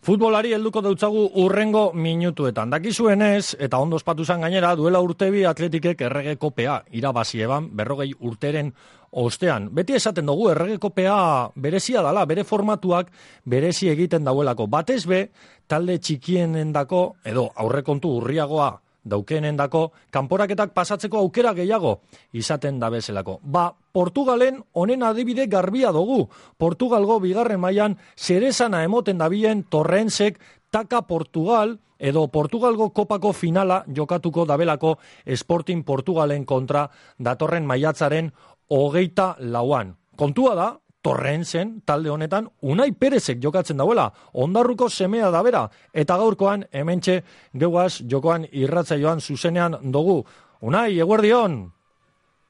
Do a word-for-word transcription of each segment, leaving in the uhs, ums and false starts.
Futbolari helduko dautzagu urrengo minutuetan. Dakizuenez, eta ondo ospatu zan gainera, duela urtebi Atletikek errege kopea irabazi eban berrogei urteren ostean. Beti esaten dugu errege kopea berezia dala, bere formatuak berezi egiten dauelako. Batez be, talde txikienendako, edo aurrekontu urriagoa daukeenendako, kanporaketak pasatzeko aukera gehiago izaten da bezalako. Ba, Portugalen honen adibide garbia dugu. Portugalgo bigarren mailan zerezana emoten dabilen Torrensek taka Portugal edo Portugalgo kopako finala jokatuko dabelako Sporting Portugalen kontra datorren maiatzaren hogeita lauan. Kontua da, Torrensen talde honetan Unai Perezek jokatzen dauela, Ondarruko semea da bera, eta gaurkoan hementxe geuaz jokoan irratzaioan zuzenean dugu. Unai, eguerdion!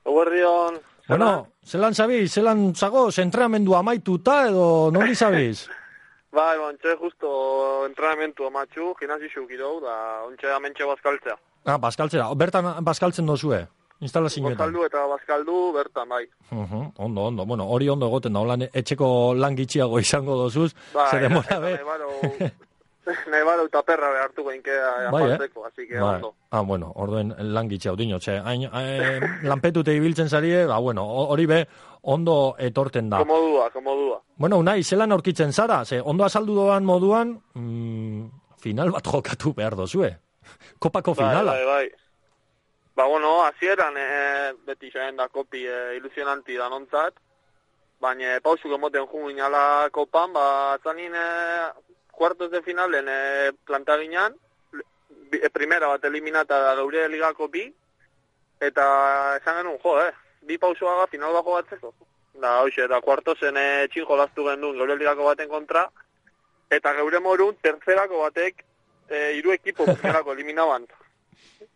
Eguerdion! Bueno, zelan zabiz, zelan zagoz, entrenamendu amaituta edo noli zabiz? Bai, ontxe justo entrenamendu amatxu, gimnasio kirou, da ontxe amentxe bazkaltzea. Ah, bazkaltzea, bertan bazkaltzen dozue? Instalazioetan. Bazkaldu eta bazkaldu bertan, bai. Uh-huh, ondo, ondo. Bueno, hori ondo egoten da, holan etxeko lan gitxiago izango dozuz. Bai, zer demora be. Nahi baro eta perra behartuko inkea bai, apaltzeko, eh? Así que bai. ondo. Ah, bueno, orduen lan gitxiago dino, txe. Hain, eh, lanpetute ibiltzen zarie, ba, bueno, hori be, ondo etorten da. Komodua, komodua. Bueno, Unai, zelan aurkitzen zara? Ze, ondo azaldu doan moduan, mm, final bat jokatu behar dozue. Kopako finala. Bai, bai, bai. Ba, bueno, hasieran e, beti joan da kopi e, ilusionanti da nontzat, baina pausuk emoten jungu inala kopan, ba, zanin e, kuartos de finalen e, plantaginan, e, primera bat eliminata da geure ligako bi, eta esan genuen, jo, eh, bi pausuaga final bako batzeko. Da, hoxe, eta kuartosen e, txin jolaztu gendun geure ligako baten kontra, eta geure morun tercerako batek e, iru ekipo primerako eliminaban.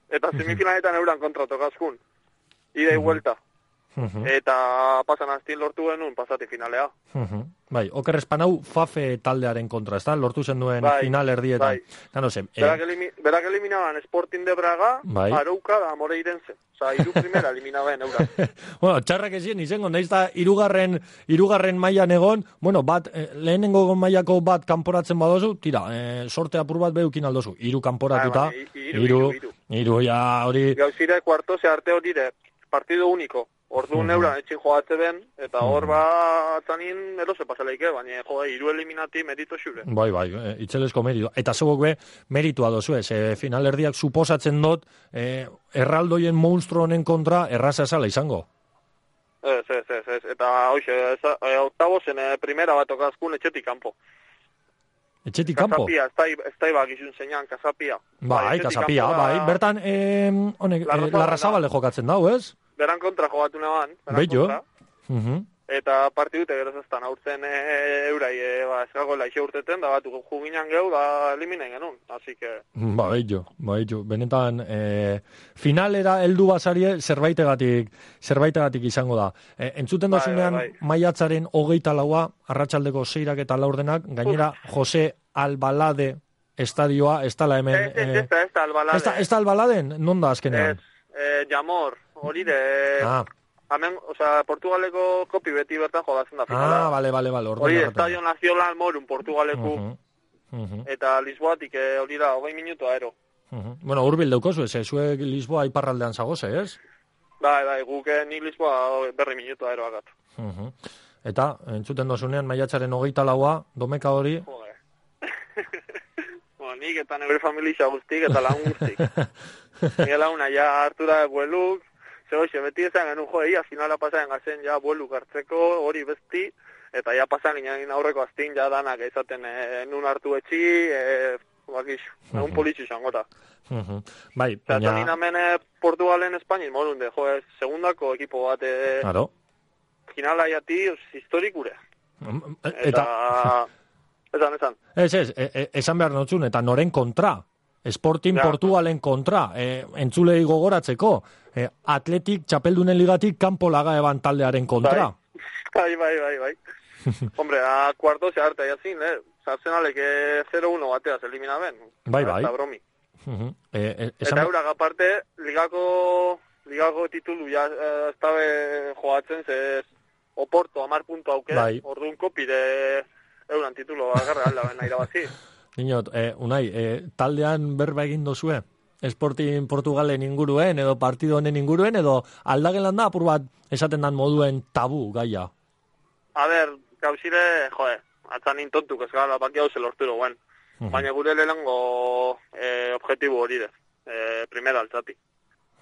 Eta semifinaletan euran kontra tokazkun. Ida y vuelta. Uh-huh. Eta pasan aztin lortu genuen pasati finalea. Uh-huh. Bai, oker espanau Fafe taldearen kontra, ez da? Lortu zen duen bai, final erdietan. Bai. Da, no sé, berak, eh... elimi, berak eliminaban Sporting de Braga, bai. Arouca da Moreirense. Osa, iru primera eliminaban euran. Bueno, txarrak ezien izango, nahiz da irugarren, irugarren mailan egon, bueno, bat, eh, lehenengo mailako bat kanporatzen badozu, tira, eh, sorte apur bat behukin aldozu. Iru kanporatuta, ah, iru, iru, iru, iru, iru, ja, hori... Gauzire, kuarto, ze arte horire, partido único. Ordu Mm. neuran etxin joatze den, eta hor mm. ba zanin erose pasaleike, baina jo, iru eliminati merito xure. Bai, bai, e, itzelesko merito. Eta zebok be, meritua dozu ez, e, finalerdiak suposatzen dut, e, erraldoien monstru honen kontra erraza esala izango. Ez, ez, ez, ez. Eta hoxe, e, octavosen e, primera bat okazkun etxetik kanpo. Etxetik kanpo? Kasapia, ez da ibak izun zeinan, kasapia. Bai, kasapia, bai. Bertan, e, honek, e, Larrazabale jokatzen dau, ez? Beran kontra jogatu neban. Bello. Uh-huh. Eta partidute geroz ez da, aurten e, eurai, e, ba, eskago laixe urteten, da batu juginan geu, da eliminen genuen, así que... Ba, bello, ba, bello. Benetan, e, finalera heldu bazarie zerbaitegatik, zerbaitegatik izango da. E, entzuten dozunean, bai, bai, bai. Maiatzaren hogeita laua, arratsaldeko seirak eta laurdenak, gainera, Uf. Jose Albalade estadioa, ez da la hemen... Ez, ez, ez, ez da Albalade. Ez da Albaladen? Non da azkenean? Ez, eh, Jamor, hori de... Ah. Hemen, osea, Portugaleko kopi beti bertan jodatzen da finala. Ah, bale, bale, bale. Hori, Estadio Nacional Morun, Portugaleko. Uh-huh. Uh-huh. Eta Lisboatik, hori da, hogei minutu aero. Uh-huh. Bueno, urbil daukozu, ez, zuek Lisboa iparraldean zagoze, ez? Bai, bai, guk ni Lisboa berri minutu aero agat. Uh-huh. Eta, entzuten dozunean, maiatzaren hogeita laua, domeka hori... Joder. Bueno, nik eta nebre familia guztik, eta lagun guztik. Nik launa, ja, hartu da bueluk, Zegoixe, beti ezan genuen jo, ia finala pasaen gazen ja buelu gartzeko, hori besti, eta ja pasan ginen aurreko aztin, ja danak ezaten e, nun hartu etxi, e, bakix, egun uh-huh. politxu izangota. Uh-huh. Bai, baina... Eta nina hemen Portugalen Espainiz, morun de, jo, ez, segundako ekipo bat, e, claro. Finala jati, historikure. Eta... eta... Esan, esan. Ez, ez, e, esan behar notzun, eta noren kontra. Sporting ja. Portugalen kontra, e, entzulei gogoratzeko, e, Atletik, txapeldunen ligatik, kanpo laga eban taldearen kontra. Bai, bai, bai, bai. Hombre, a cuarto se harta jazin, eh? Arsenalek zero uno bateaz eliminaben. Bai, bai. Eta bromi. Uh-huh. e, e, esan... Eta eurak aparte, ligako, ligako titulu ja ez dabe joatzen, ze Oporto, amar puntu auke, bai. Orduan kopide euran titulo agarra alda bena irabazi. Dinot, eh, Unai, eh, taldean berba egin dozue? Sporting Portugalen inguruen, edo partido honen inguruen, edo aldagelan da, apur bat, esaten dan moduen tabu gaia? A ber, gauzire, joe, atzan intontuk ez gara, baki hau zelorturo guen. Uh-huh. Baina gure lehengo eh, objetibo hori dez, eh, primera altzati.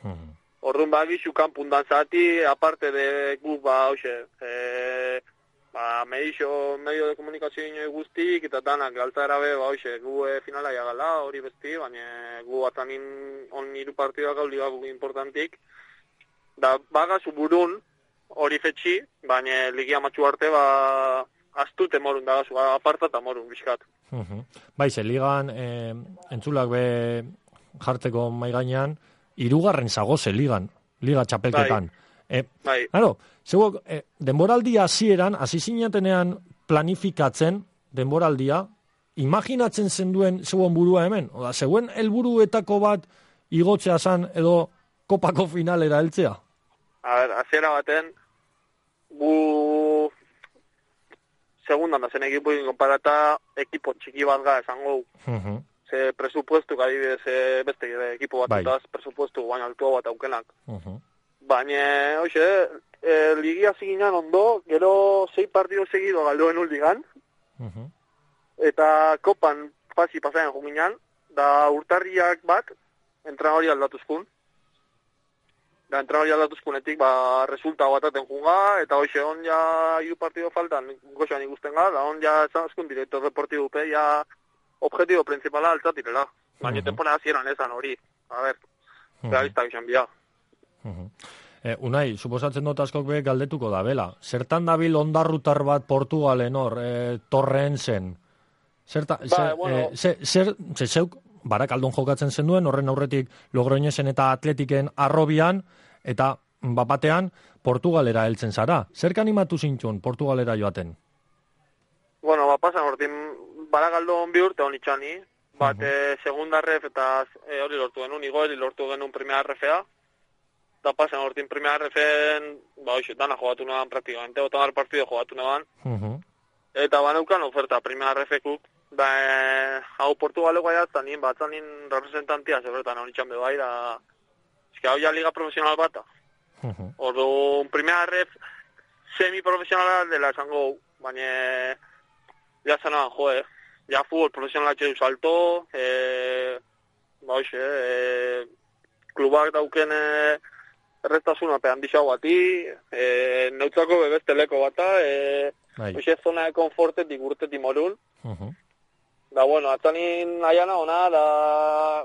Uh-huh. Orduan bagizu kanpundan zati, aparte de guk ba, hoxe, eh, ba, medixo, medio de komunikazio ino guztik, eta danak altzara be, ba, hoxe, gu e, finala jagala, hori besti, baina gu atanin on hiru partidoak hau ligak importantik. Da, bagazu burun, hori fetxi, baina ligia matxu arte, ba, astute morun dagazu, apartata morun, bizkat. Uh-huh. Baize, ligan, eh, entzulak be jartzeko maigainan, hirugarren zagoze ligan, liga txapelketan. Bai. Eh, bai. Claro, zeuok, eh, denboraldia hasieran, hasi zinatenean planifikatzen denboraldia, imaginatzen zenduen zeuen burua hemen? Oda, zeuen helburuetako bat igotzea zan edo kopako finalera heltzea? A ber, hasiera baten, gu segundan da zen ekipuin konparata ekipo txiki bat ga esango. Uh-huh. Ze presupuestu, adibidez, beste ekipo bat bai. Presupuestu baina altua bat aukenak. Uh-huh. Baina, hoxe, e, ligia ziginan ondo, gero sei partido seguido galdoen uldigan, uh-huh. Eta kopan pasi pasaien juminan, da urtarriak bat, entra hori aldatuzkun. Da entra hori aldatuzkunetik, ba, resulta bataten junga, eta hoxe, on ja hiru partido faltan, goxan ikusten ga, da on ja zanazkun director deportibo pe, ja objetibo principala altzatirela. Baina uh-huh. Temporada zieran esan hori, a ver, uh-huh. Realista gizan bia. Uh-huh. Eh, Unai, suposatzen dut askok be galdetuko da, bela. Zertan dabil ondarrutar bat Portugalen hor, eh, Torrensen? Zerta, ba, zer, bueno. eh, zer, zer, zer, zeuk, Barakaldon jokatzen zenduen, horren aurretik Logroñesen eta Atletiken arrobian, eta bapatean Portugalera heltzen zara. Zerk animatu zintxun Portugalera joaten? Bueno, ba, pasan hortin Barakaldon bi urte honitxani, bat uh-huh. eh, segunda ref eta eh, hori lortu genuen, igoeri lortu genuen primera refea, eta pasan hortin primera refen, ba, hoxe, dana jogatu neban praktikamente, otamar partido jogatu neban, uh-huh. Eta baneukan oferta primera refekuk, ba, eh, hau Portugaleko aiatzen nien, batzen nien representantia, zebretan honitxan bebai, da, eski hau ja liga profesional bata. Uh-huh. Ordu, primera ref semi-profesionala dela esango, baina, ja zanaban, joe, ja futbol profesionala txedu salto, eh, ba, hoxe, eh, klubak dauken eh, errestasuna pean dixau bati, eh, neutzako bebesteleko bata, eh, hoxe zona de konfortetik urtetik morun. Uh-huh. Da, bueno, atzanin aiana ona, da,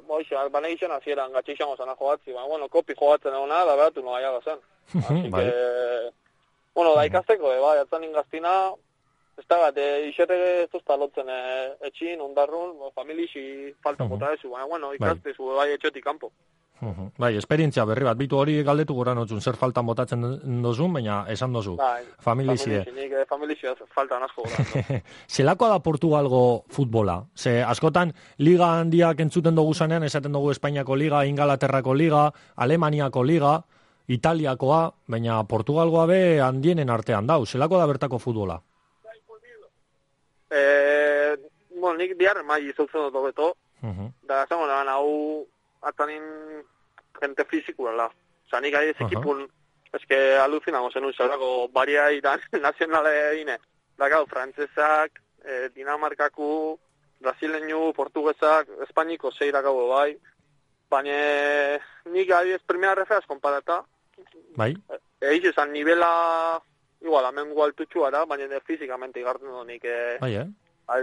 hoxe, bane gixen azieran, gatxe izango zana jogatzi, ba, bueno, kopi jogatzen ona, da, behatu no aiaga zen. Así que, bueno, da ikasteko, eh, bai, atzanin gaztina, ez da bat, e, isete ez duzta lotzen e, etxin, ondarrun, familixi falta jota uh-huh. Ezu, baina, bueno, ikaste zu bai etxetik kanpo. Uh-huh. Bai, esperientzia berri bat, bitu hori galdetu gora notzun, zer faltan botatzen dozun, baina esan dozu, bai, familixie. Nik familixi faltan asko gora. Zelakoa da Portugalgo futbola? Ze askotan liga handiak entzuten dugu zanean, esaten dugu Espainiako liga, Ingalaterrako liga, Alemaniako liga, Italiakoa, baina Portugalgoa be handienen artean dau. Zelakoa da bertako futbola? Eh, bueno, nik diar mai izautzen dut beto, uh-huh. Da zango nahan hau atanin gente fizikuela. Osa, nik ari ez ekipun, uh-huh. Eske alucinamo zenun, zaurako baria iran nazionale egine. Da gau, frantzesak, eh, Dinamarkaku, brasileñu, portuguesak, espainiko zeirakago bai. Baina nik ari ez primera refeaz konparata. Bai. Eiz esan nivela... Igual, amengu altutxua da, baina fizikamente igartzen dut nik eh, bai, eh?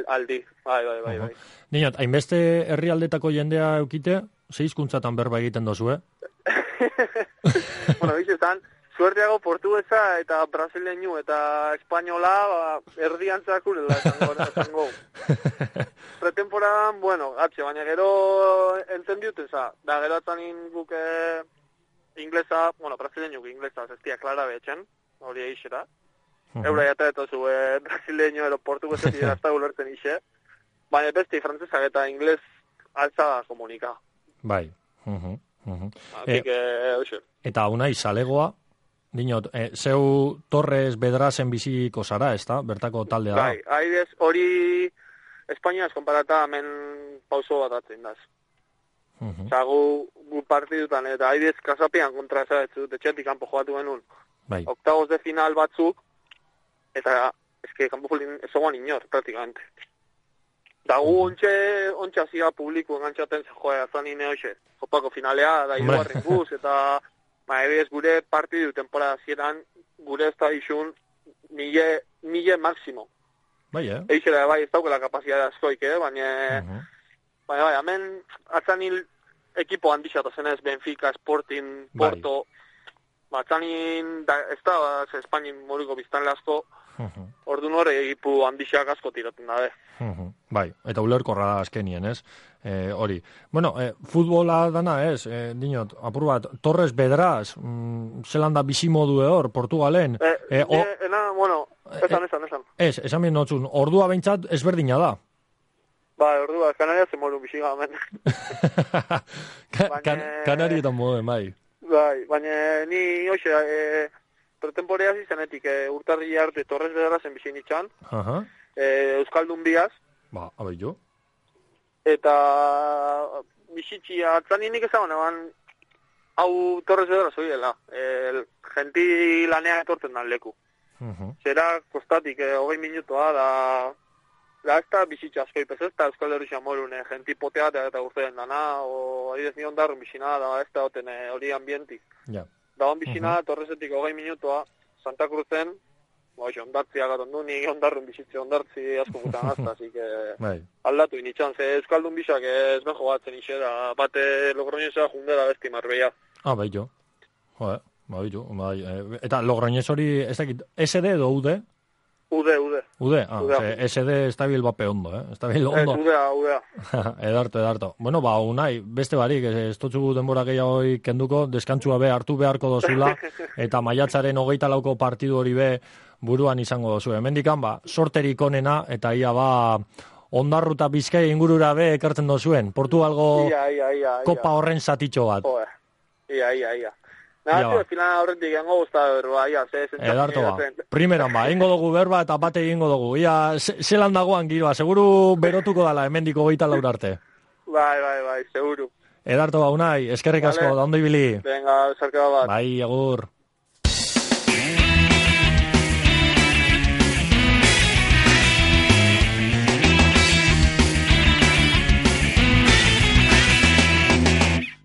aldi. Bai, bai, bai. Uh-huh. bai. Niñot, hainbeste herrialdetako jendea eukite, ze hizkuntzatan berba egiten dozu, eh? Bueno, bizizan, suerteago portuguesa eta brasileñu eta espainola ba, erdiantzakurela esango. Pretemporadan, bueno, atxe, baina gero entendiuten za, da gero atzanin guke inglesa, bueno, brasileñu inglesa, zestia klara betxen, hori eixera. Uh-huh. Eura jata eta zu eh, brasileño ero portuguesetik erazta gulertzen ixe. Baina beste frantzesak eta inglés altza komunika. Bai. Uh-huh. Uh-huh. Así que, oxe. Eta unai, zalegoa, dinot, eh, zeu Torres Bedrazen biziko zara, ez da? Bertako taldea da? Bai, haidez hori Espainiaz konparata hemen pauso bat atzen daz. Mhm. Osa, gu, gu partidutan, eta haidez kasapean kontra ezagetzu, etxetik kanpo jogatu genuen. Bai. Octavos de final batzuk, eta eske kanpo fulin ezoguan inor, praktikamente. Da gu ontxe, ontxe azia publiku engantxaten ze joa, zanin hoxe, jopako finalea, da hirugarren guz, eta ba, ebidez gure partidu temporada zieran, gure ez da izun, mille, mille máximo. Bai, eh? Eixera, bai, ez daukela kapazitatea askoik, eh? Baina, Mhm. baina, bai, hemen atzanil ekipo handixatu zenez, Benfica, Sporting, Bai. Porto, ba, atzanin, da, ez da, ba, Espainin moruko biztanle asko, Mhm. orduan hori egipu handixak asko tiraten dabe. Mhm. Bai, eta ulerkorra da azkenien, ez? Eh, hori. Bueno, eh, futbola dana, ez? Eh, dinot, apur bat, Torres Bedraz, mm, Zelanda bizimodu hor, Portugalen. Eh, Eh, o- eh, ena, bueno, esan, esan, esan. Ez, esan bien notzun, ordua behintzat ezberdina da. Ba, ordua, Kanaria ze moru bixiga hemen. Ka- Baina- kan- Kanarietan moden, bai. Bai, baina ni, hoxe, e, pretemporea zizenetik, e, urtarri arte Torres Bedrazen bizin itxan, Aha. e, Euskaldun biaz, Ba, abai jo. eta bizitzi atzaninik ezagun eban, hau Torres Bedraz hori dela, e, genti lanea etortzen dan leku. Mhm. Zera kostatik, e, hogei minutoa, da, da ez da bizitza asko ipez, ez da Euskal Herria morun, e, genti potea eta, eta urtean dana, o adidez ni ondarrun bizina, da ez da hoten e, hori ambientik. Ja. Da hon bizina, Torresetik hogei minutoa, Santa Cruzen, ba, xe, ondartzia gaton du, ni ondarrun bizitze ondartzi asko gutan azta, así que Bai. aldatu initxan, ze Euskaldun bizak ez ben jogatzen ise, da bate Logroñesa jundera besti Marbella. Ah, bai jo. Joder, bai jo. Bai, eh, eta Logroñez hori, ez dakit, S D edo U D? Ude, ude. U D? Ah, Udea. ze S D estabil bape ondo, eh? Estabil Ez, ondo. udea, udea. edarto, edarto. Bueno, ba, unai, beste barik, ez, ez totzugu denbora gehiago kenduko, deskantzua be hartu beharko dozula, eta maiatzaren hogeita lauko partidu hori be buruan izango dozu. Hemendikan, ba, sorterik onena, eta ia, ba, Ondarruta Bizkai ingurura be ekartzen dozuen. Portugalgo Ia, ia, ia, ia. kopa horren zatitxo bat. Joder. Ia, ia, ia. Ia, Nada, ba. tio, final horretik gango guzta berba, ia, ze, zentzak Edarto ba. Primeran ba, egingo dugu berba eta bate egingo dugu. Ia, ze- zelan dagoan giroa, seguru berotuko dala hemendiko hogeita laur arte. Bai, bai, bai, seguru. Edarto ba, unai, eskerrik asko, Vale. da ondo ibili. Venga, sarkaba bat. Bai, agur.